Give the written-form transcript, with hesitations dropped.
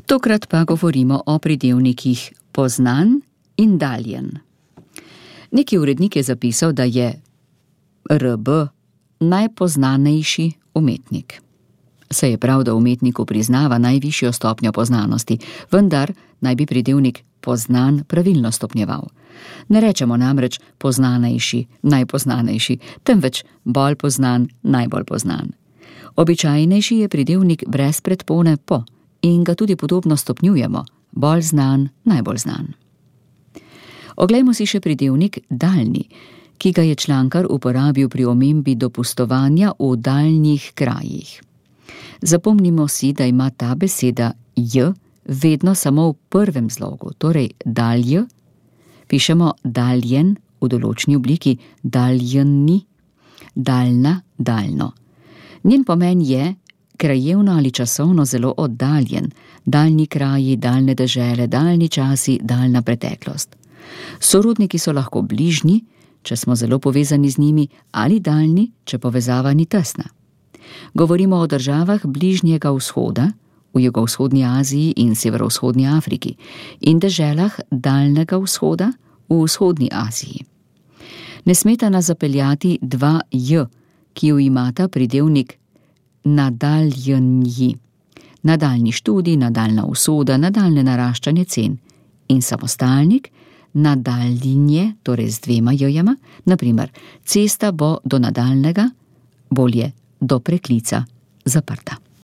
Tokrat pa govorimo o pridevnikih poznan in daljen. Neki urednik je zapisal, da je RB najpoznanejši umetnik. Saj je prav, da umetniku priznava najvišjo stopnjo poznanosti, vendar naj bi pridevnik poznan pravilno stopnjeval. Ne rečemo namreč poznanejši, najpoznanejši, temveč bolj poznan, najbolj poznan. Običajnejši je pridevnik brez predpone po in ga tudi podobno stopnjujemo, bolj znan, najbolj znan. Oglejmo si še pridevnik daljni, ki ga je člankar uporabil pri omembi dopustovanja v daljnih krajih. Zapomnimo si, da ima ta beseda j vedno samo v prvem zlogu, torej dalj, pišemo daljen v določni obliki, daljni, daljna, daljno. Njen pomen je krajevno ali časovno zelo oddaljen, daljni kraji, daljne dežele, daljni časi, daljna preteklost. Sorodniki so lahko bližnji, če smo zelo povezani z njimi, ali daljni, če povezava ni tesna. Govorimo o državah Bližnjega vzhoda, v jugovzhodni Aziji in severovzhodni Afriki, in deželah Daljnega vzhoda v vzhodni Aziji. Ne smeta nas zapeljati dva j, ki ju imata pridevnik nadaljenji, nadaljni študij, nadaljna usoda, nadaljne naraščanje cen, in samostalnik nadaljnje, torej z dvema j-jema, na primer, cesta bo do nadaljnega, bolje do preklica, zaprta.